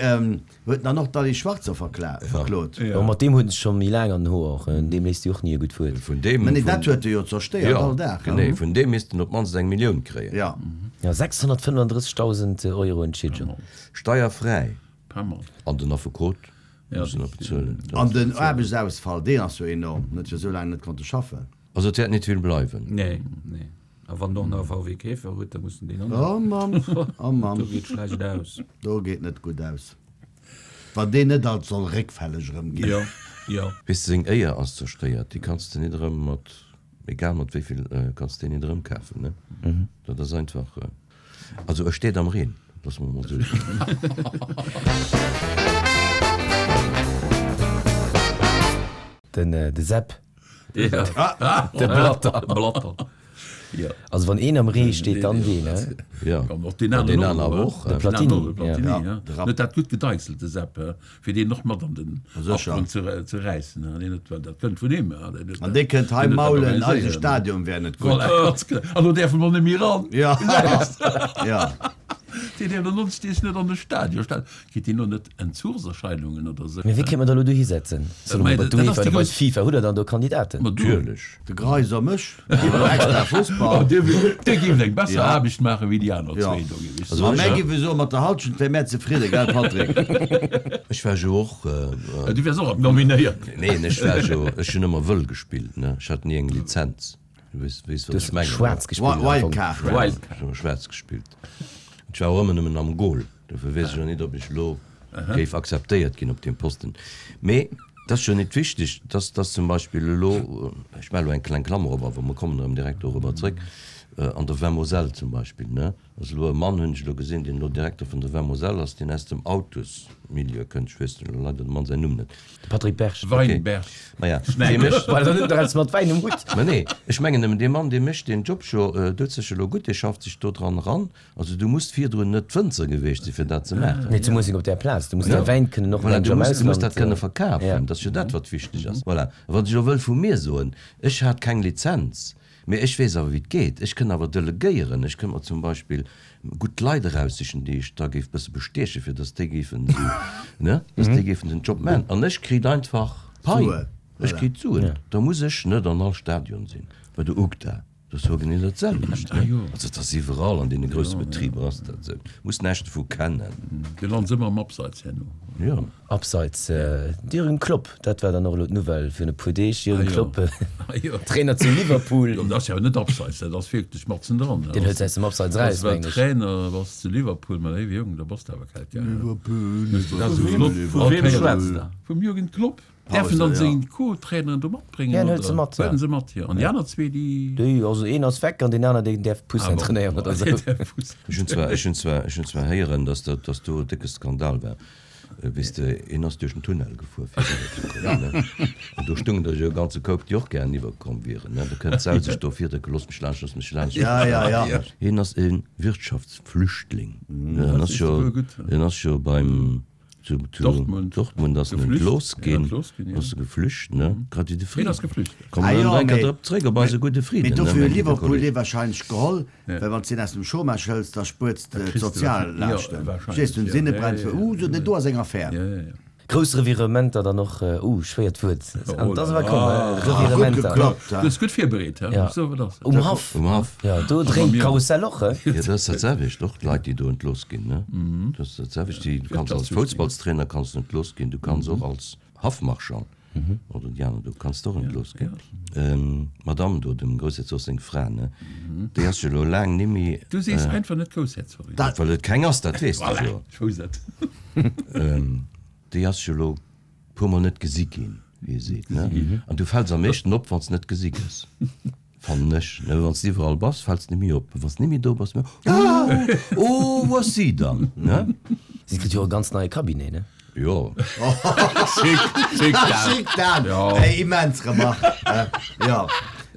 huet dann och d'Alice Schwarzer verklot. Jo, mat deem huet en sech scho méi laang an den Hoer och. Deem léisst de och ni e gutt Wuert. Vun deem, Mä nee, dat vun, huet e jo zerstéiert jo, all Dag. genee, vun deem misst en op d'mannst eng Millioun kréien. Ja. Ja, sechshonnertfënnefandrëssegdausend Euro Entschiedegung. Steierfräi. Pas mal. An den Affekot Ja, muss en nach bezuelen. An den Aarbechtsausfall, deen ass jo enorm, net fir esou laang net konnte schaffen. Also et wäert net vill bleiwen. Nee, nee. A wann en och nach e V W Käfer huet, da muss en deen och nach. Oh Mamm, oh Mamm. Do geet schlecht aus. Do geet net gutt aus. Wann deen net alt soll réckfälleg erëm ginn. Jo, jo. Weess de, seng Éier ass zerstéiert, déi kanns de net erëm mat, egal mat wéi vill, kanns de déi net erëmkafen, ne? Dat ass einfach, also e steet am Reen, loosse mer emol esou soen. Den, de Sepp. Ja. De Blatter. Blatter. Ja. Also wann een am Ree steet, dann deen, ne? Ja. An och deen An deen aneren aner och, och, de de Platini, Platini, Platini, ja. ja. De Rapp. Huet dat gutt gedeichselt, de Sepp, he, fir deen och mat an den Sécher. Abgrond ze, ze räissen, he. Deen huet, dat kënnt vun him, he. Deen huet An dat, dee kënnt hei deen huet dat maulen, eise organiséiert. Stadion wär net gutt. Voilà, ganz genau. An do däerfe mer net méi ran. Ja. Ja. Deen däerf dann nonstens net an de Stadion. Stad, kritt deen lo net Entzugserscheinungen oder sou? Mee wéi kéint mer da lo dohi setzen? Solle mer Mä bei dat ass d'UEFA déi oder bei grouss. d'FIFA? Hutt Der dann do Kandidaten? Ma du. Natierlech. De Greiser mech, extra Fussball. Oh, dir, dir géift eng besser Ja. Aarbecht maachen wéi déi aner Ja. zwee do, géif ech A soen. mär géife soen, mat der Halschent wär mär zefridden, gell Patrick? Ech war jo och. Ja, du wäers och nominéiert. Neen, ech war jo, ech hunn ëmmer wëll gespillt, ne? Ech hat ni eng Lizenz. Du weess, weess wat Du ech hues mengen, ne? schwaarz gespillt am Fong. Wildcard. Wildcard. Ech hunn ëmmer schwaarz gespillt. Ech war och ëmmer nëmmen am Goal, dofir weess ech och net, ob ech elo géif akzeptéiert ginn op deem Posten. Mee dat ass jo net wichteg, dass dass zum Beispill elo, ech maache elo eng kleng Klammer op, awer mer kommen erëm direkt dorobber zréck, an der Vin-Moselle zum Beispill, ne, ass elo e Mann, hunn ech elo gesinn, deen elo Direkter vun der Vin-Moselle ass, deen aus dem Autosmilieu kënnt, ech weess elo leider dem Mann säin Numm net. De Patrick Berg. Weinberg. Maja, dee mécht. Well dann huet en dach eppes mat Wäin um Hutt. Mä nee, ech mengen nëmmen, dee Mann, dee mécht deen Job scho, doet sech elo gutt, dee schafft sech do dran eran. Also du muss virdrun net Wënzer gewiescht sinn, fir dat ze maachen. Nee, zemools net op där Plaz. Du muss däi Wäin kënnen och Voilà, mensch du am muss, du muss Ausland. dat kënne verkafen. Ja. Dat ass jo dat, wat wichteg ass. Voilà. A wat ech elo wëll vu mir soen, ech hat keng Lizenz, mee ech weess awer, wéi et geet. Ech kënn awer delegéieren. Ech kënnt mer zum Beispill gutt Leit eraussichen, déi ech da géif bësse bestiechen, fir datt déi géifen esou, ne, datt déi géifen den Job maachen. An ech kritt einfach Pai. Suen. Ech Voilà. kritt Suen. Da muss ech net an all Stadion sinn. Bei der UGDA, dat ass jo genee dat selwecht, ne? Also dat ass iwwerall an deene grousse Betriber ass dat esou. Muss näischt dovu kennen. Dir lant ëmmer am Abseits herno. Jo. Abseits, Jürgen Klopp, dat war dann och elo d'Nouvelle virun e puer Deeg. Jürgen Ah jo. Klopp, Ah jo. Trainer zu Liverpool. Jo, dat ass jo net Abseits, dat ass wierklech matzen dran. Deen huet se aus dem Abseits eraus, Well mengen ech. Trainer bass zu Liverpool, mä léiwe Jong, da bass de awer kalt, gell? Liverpool, Dat ass esou flott. Vu weem schwätzt der? Vum Jürgen Klopp. Däerf en dann ja. seng Co-Traineren do matbréngen? Ja, en huet se mat, ja. Huet en se mat, jo. An déi aner zwee, déi. Déi, also een ass weg an deen aner, deen däerf Poussins Ah bon. trainéieren oder esou. Deen däerf Poussins. Ech hunn zwar, ech hunn zwar, ech hunn zwar héieren, dass dat, dass do e décke Skandal war. Weess de, een ass duerch den Tunnel gefuer, fir eriwwer ze kommen, ne? An do stungen der jo e ganze Koup, déi och gären iwwerkomm wieren, ne? Da kënnt d'Sau sech do virdrécken, Looss mech laanscht, looss mech laanscht. Ja, ja, ja. Hien ass e Wirtschaftsflüchtling. En ass jo, wuel gutt. en ass jo beim. Zu, zu Dortmund. Dortmund ass en Geflücht. entlooss Ja, ginn. entlooss ginn, ja. Ass e geflücht, ne? Grad wéi de Hien Frieden. ass geflücht. Kommen Ah wir jo, dann mee- drop zréck op eise gudde Mee Frieden, ne, dofir mein huet gudde Liverpool Kolleg. dee wahrscheinlech geholl, well wann s de en aus dem Chômage hëls, da spuers de kriss de d'Soziallaaschten. ja, wahrscheinlech, Verstees du, ja. Sinne Ja, brennt ja, fir, ja. uh, so, do ass eng Affär. Ja, ja, ja. Grouss Revirementer dann och, uh, schwéiert Wuert. An dat ass awer komm, Ah. Revirementer. Gutt geklappt, Du ja. hues gutt virbereet, hä? Ja. So, wat ass dat? Um Haff. Um Haff. Ja, do dréint d'Karussell och, hä? Ja, dat ass dat selwecht, och d'Leit, déi do entlooss ginn, ne? Dat ass dat selwecht, déi, du kanns als Foussballstrainer kanns du entlooss ginn, du kanns och als Haffmarschall oder déi aner, du kanns och entlooss ginn. Ähm, d'Madame do, dem Groussherzog seng Fra, ne? Déi ass jo elo laang nimmi, Du sees einfach net Groussherzogin. Dat- well et keng ass, dat weess de Voilà, jo. ech wousst et. Ähm, déi ass jo elo puermol net gesi ginn, wéi ee seet, ne? An du fäls am meeschten op, wann s net gesi gëss. Fannen ech, ne? Wann s du iwwerall bass, fäls de nimmi op. Wann s nimmi do bass, oh, oh, wou ass si dann, ne? Si kritt jo e ganz neie Cabinet, ne? Jo. Schick, schick dat. Schick dat! Ja. Ey, immens Remarque. Äh, ja.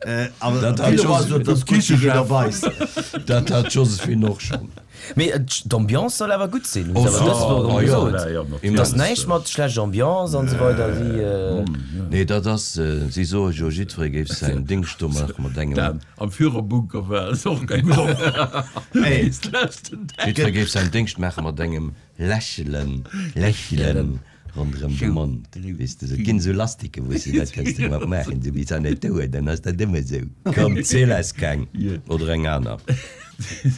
Äh, awer Dat hat Philo war Joseph- so, dass Gucci Küchechef. jeder weiß. Dat hat Josephine och schonn. Mee d'Ambiance soll awer gutt sinn. Oh, Awer dës Woch oh, erëm ja. gesot. Ja, ja, Et ass näischt mat schlechter Ambiance an esou weider. Si, äh, Nee, dat ass, äh, si soe jo, jiddweree géif säin Dingscht do maache mat engem. Dan, am Führerbunker war es och keng gutt Ey. Jiddweree géif säin Dingscht maache mat engem Lächelen, Lächelen ronderëm de Mond. Weess de, et ginn esou Lastike, wou s de dat kanns de mat maachen, sou wéi se net doen, dann ass dat ëmmer esou. Komm, ziel eis keng oder eng aner.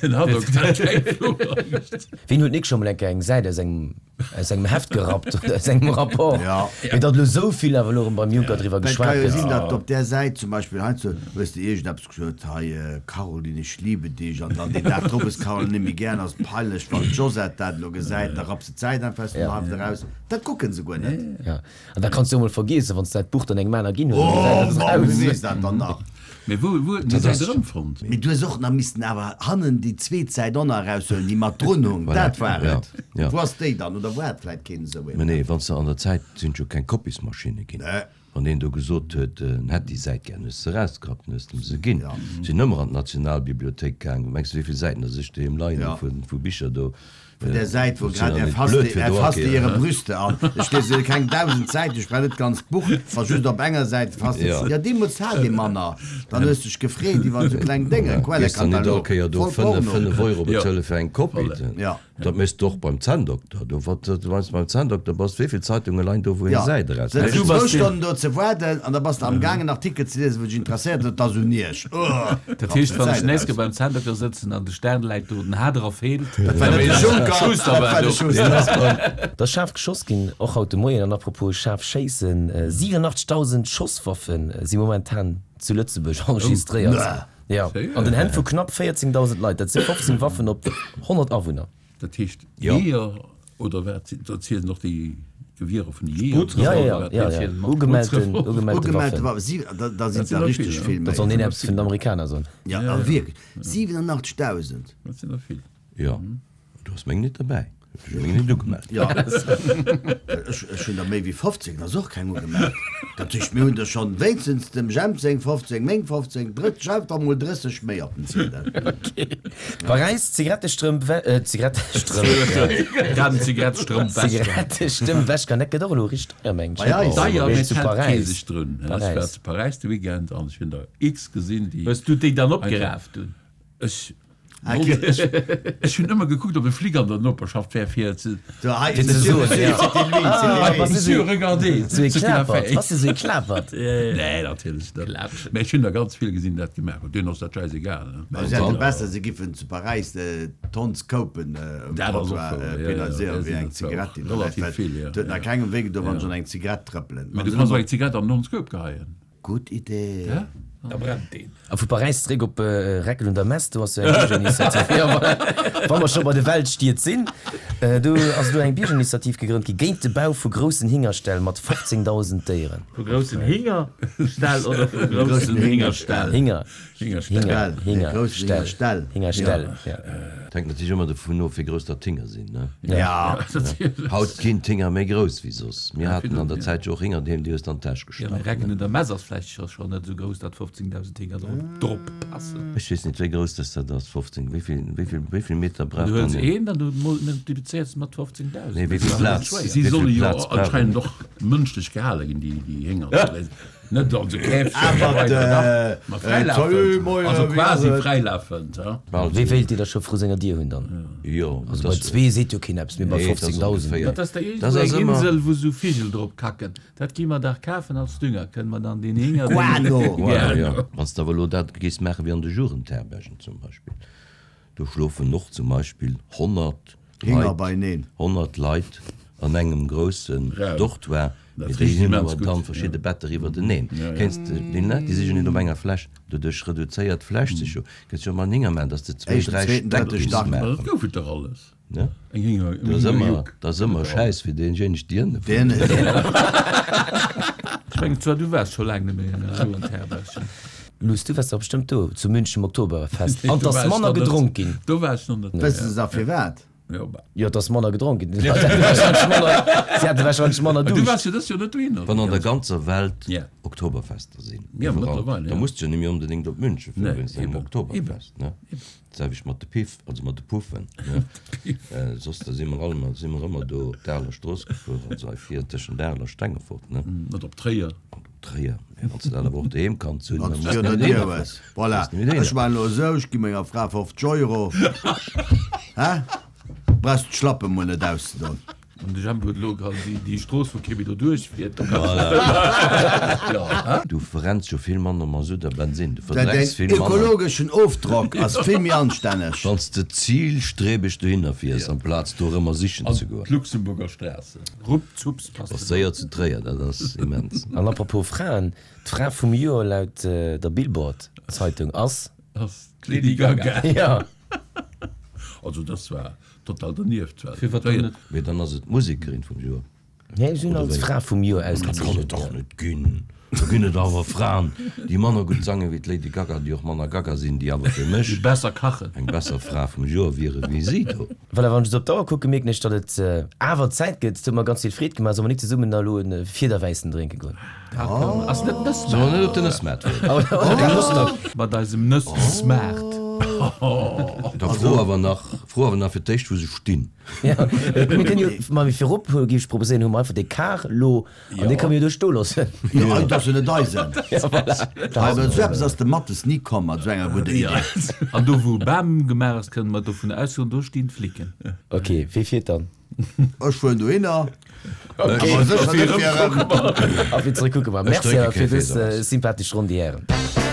Den hat och keng Flugangst. Wien huet nik scho mol eng Kéier eng Säit aus engem, aus engem Heft gerappt oder aus engem Rapport? Ja. Mee datt elo esou vill awer elo erëm beim Juncker driwwer Dat geschwat kann jo gëtt. sinn, datt op där Säit zum Beispill heiansdo hues de iergendeppes gesot, hei, Caroline, ich liebe dich, an dann deen Dag drop hues d'Caroline net méi gär, ass peinlech, wann d'Josette dat elo gesäit, da rapps de d'Säit einfach aus dem Ja. Heft eraus. Dat kucken se guer net. Ja. An da kanns du jo mol vergiessen, wann s dat Buch dann engem aner ginn hues, Oh, dann gesäit dat Mann, eraus. wie weess dat dann nach? Mee wou, wou huet en déi Säit erëmfonnt? Mee du hues och nach missten awer hannen déi zweet Säit och nach eraushuelen, déi mat drun hung. Voilà. Dat war Ja, et. ja. Wou ass déi dann? Oder wou hat vläit keen esou een? Mä nee, wann s de an der Zäit sinn jo keng Kopiesmaschine ginn. Nee. Wann een do gesot huet, en hätt déi Säit gär, hues de se erausgerappt, hues de em se ginn. Ja. Sinn ëmmer an d'Nationalbibliothéik gaang. Mengs du, wéi vill Säiten dass ech doheem leien Ja. hu vu Bicher do? Vun der Säit, wou Sinn grad dann er net fasste, blöd fir er do fasste Akeer, ihre ne? Brüste an. Ech lese keng dausend Säiten, ech brauch net d'ganzt Buch, wa just op enger Säit fasste. Ja. Ja, deemools hat ee manner. Dann hues du dech gefreet iwwer esou kleng Dénge, Gees dann net all Quellekatalog, Kéier do voll fënnef, Porno. fënnef Euro Ja. bezuele fir eng Kopie. Voilà. Ja. Dat méchs du och beim Zänndokter. Do, wat, wann s du beim Zänndokter bass, wéi vill Zeitunge leien do, wou een Ja. Säit eraus Sëtz Du du bass zwou den- Stonnen do ze waarden an da bass du am Gaang en Artikel ze liesen, wou dech interesséiert huet, da so niech. Oh, Dat heescht, wann ech Säit nächst eraus. beim Zänndokter sëtzen an de Stern läit do, den Hader feelt, Dat war net de Juncker, Schuster dat war war de do. Schuster. Da ass schaarf geschoss ginn, och haut de Moien. An apropos schaarf schéissen, siewenundachtzigtausend Schosswaffen si momentan zu Lëtzebuerg enregistréiert. Ja. Séier? An den Hänn vu knapp véierzéngtausend Leit. Dat si fofzéng Waffen op honnert Awunner. Dat heescht, Ja. Jeeër oder wat sinn, dat zielen och déi Gewierer vun de Jeeër Ja, ja, oder wat? ja, ja, ja. Ugemellten, ugemellte Ugemellte Waffen. Waffen. Sie, da, da sind Dat sinn da der richtig vill, ja. vill Dat méi. soll een eppes vun den Amerikaner soen. Ja, ja, wierklech. Siewenundachtzigtausend. Dat sinn der vill. Ja. Du hast meng net derbäi. Ech hu meng net ugemellt. Ja. Ech, ech hunn der méi wéi fofzéng, da ass och keng ugemellt. Dat heescht, mir hunn der schonn wéinstens dem Jemp seng fofzéng, meng fofzéng, drëtt, schreift der mol drësseg méi op den Ziedel. Paräis, Zigarettestrëmp, äh, Zigarettestrëmp, ja. Grad en Zigarettestrëmp wäschkan. Zigarettestëmp wäschkan, dat gëtt och elo richteg deier, mengen ech. Bei eis. Deier, Mee mee zu et hält Paräis. kee sech drun. Ech Paräis. war zu Paräis de Weekend an ech hunn der X gesinn, déi Hues du déi dann opgeraaft hunn? Ech Ech, ech hunn ëmmer gekuckt, ob e Flic an der Noperschaft wär, fir ze So, hei, Fir ze Monsieur, soen, Monsieur, ja. c'était lui, c'était Ah, lui. was ist Monsieur, regardez, Sou ee ce qu'il a Klapert. fait. Was ist sou ee Klapert? Nee, natierlech net. Klapschen. Mee ech hunn der ganz vill gesinn, dat gemaach hunn. Denen ass dat scheißegal, ne? Ma se hätte besser, se giffen zu Paräis d'Honds kopen um Dat ass och Trottoir wouer, ja, ja, penaliséieren ja, wéi eng sinn dat Zigarett, déi auch da läit, relativ well vill, ja, et huet nach ja. kengem wéi gedoen, wann Ja. se an eng Zigarett trëppelen. Mee Wann du se kanns och ëmmer eng Zigarett an den Hondsköp geheien. Gutt Idee. Ja? Da brennt deen. A vu Paräis zeréck op Reckel un der Mess, do ass jo eng Biergerinitiativ. Ja, voilà. Wa mer scho bei de Weltstied sinn, do ass elo eng Biergerinitiativ gegrënnt gi géint de Bau vu groussen Hingerställ mat fofzéngdausend Déieren. Vu groussen Hingerställ oder vu groussen Hingerställ? Hinger. Hingerställ. Hinger, Hinger, Hingerställ. Hingerställ. Hingerställ, ja. Hänkt natierlech ëmmer dovun of, wéi grouss dat d'Hinger sinn, ne? Ja. Haut ginn d'Hinger méi grouss wéi soss. Mir haten an der Zäit jo och Hinger doheem, déi hues de an d'Täsch Ja, gestach, mee Recken ne? un der Mess ass vläicht scho scho net esou grouss, datt fofzéngdausend Hinger drop drop passen. Ech weess net, wéi grouss dass dat ass, fofzéng, wéi vill, wéi vill, wéi vill Meter brauch Du huels dann een? een, dann du multiplizéiers de mat fofzéngdausend. Nee, wéi Dat vill ass net Plaz, schwéier. Si wéi vill solle jo Plaz brauch anscheinend een? och mënschlech gehale ginn, déi, déi Hénger. Net also Käfchen Awer weider, de, dach, ma äh, fräilafend. Salut, moien, Also wéi ass quasi et? fräilafend, ha? Wéi wéilt Dir da scho vru senger Dier hunn dann? Jo, Also dat bei ass, zwee seet jo keen eppes, mee bei nee, dat ass fofzéngdausend. ongeféier. Dat ass da Dat iergendwou ass eng ëmmer. Insel, wou sou Vigel drop kacken. Dat gi mer dach kafen als Dünger. Kënne mer dann deen Hénger, deen. Guano! Voilà, ja. Wann s de awer elo dat géifs maachen wéi an de Jugendherbergen zum Beispill, do schlofen och zum Beispill honnert Hinger Leit, beineen. honnert Leit an engem groussen Raum. Dortoir, Dat mee déi riecht hunn immens awer gutt, dann ja. verschidde Better iwwerteneen. Ja, ja. Kéints de déi Leit, déi si jo net op enger Fläch, doduerch reduzéiert d'Fläch sech jo. Kéints jo emol en Hinger maachen, dass de zwéi, Éischten, dräi zweeten, Stäck drëtte misst Stack. Ma dat maachen. gouf et dach alles. Ne? Eng Hinger, eng Dat ass ëmmer, Hingerjuck. dat ass ëmmer Schäiss fir deenjéineg, déi ënne Deen, Ech mengen zwar, du waars scho laang net méi an der Jugendherberg. Luss, du waars dach bestëmmt do zu München um Oktoberfest. An Do 't ass war ech manner nach net. gedronk ginn. Do war ech nach net. wëssen se da firwat? Jo, bah. Jo, 't ass manner gedronk ginn. Si hate wahrscheinlech manner, si hate wahrscheinlech manner Du Duuscht. waars jo dës Joer net dohinner. Wann an der ganzer Welt Ja. Oktoberfester sinn, Ja, iwwerall, mëttlerweile, da ja. muss du jo net méi onbedéngt op München fueren Nee, wéinst engem eben. Oktoberfest, ne? Dat selwecht mat de Piff, also mat de Puffen, ne? Äh, soss da si mer all ëmmer, si mer ëmmer do op d'Areler Strooss gefuer, also hei vir tëschent Arel a Stengefort, ne? Net op Tréier. An op Tréier. Mä wann s de dat awer och doheem kanns hunn, Wann da s muss du de der net Dier dohinner hues. fueren. Voilà. Muss de net dohinner Ech maachen elo esou, ech gi menger Fra fofzeg Euro. Hä? Brauchst d'Schlappe mol net auszedon. An de Jemp huet elo grad déi, déi Strooss, wou kee méi do duerchfiert. Ja, Du verrenns jo vill manner Masutt a Bensin, du Däin verdrecks vill manner. ökologeschen Ofdrock ass vill méi anstänneg. Wann s de zielstrebeg dohinner fiers, amplaz dorëmmer sichen An ze goen. d'Luxemburger Straße. Ruppzups passt Ass et. séier zu Tréier, dat ass immens. An apropos Fraen, d'Fra vum Joer laut der Billboard-Zeitung ass? Ass d'Lady Gaga. Ja. Also das war total dernieft. Well Firwat dann net? Mee dann ass et d'Musekerin vum Joer. Nee, si hunn Oder als wéi? Fra vum Joer Dat kann et ausgezeechent. dach net ginn. Do ginn et awer Fraen, déi manner gutt sange wéi d'Lady Gaga, déi och manner Gaga sinn, déi awer fir mech Déi besser kachen. eng besser Fra vum Joer wiere wéi si do. Voilà, wann ech esou op d'Auer kucken, mierken ech, datt et awer Zäit gëtt. Et huet mer ganz vill Freed gemaach. Solle mer nik zesummen da elo e Fiederwäissen drénke goen? Dat kënne mer. Ass net Solle mer Nëssmaart? net op den Nëssmaart fueren? Oder den Nusstock. Mat eisem Nëss-Smaart. Da fro awer nach, fro awer nach fir d'éischt, wou se stinn. Ja, mir kënnen jo, ma mee virop géif ech proposéieren, hu mer einfach dee Kar lo an dee kënne mir jo do stoe loossen. Jo, dat ass jo net eisen. Ja, voilà. Awer esou eppes ass de Mattes ni komm mat esou enger gudder Idee. An do wou Bam gemaach ass, kënne mer dovun ausgoen, do stinn d'Flicken. Ok, wee fiert dann? Ech fueren dohinner. Awer sécher net fir erëm. A fir zeréck kucke mer. Ech Merci drénke awer fir kee dës Féiser. sympathesch Ronn, déi Hären.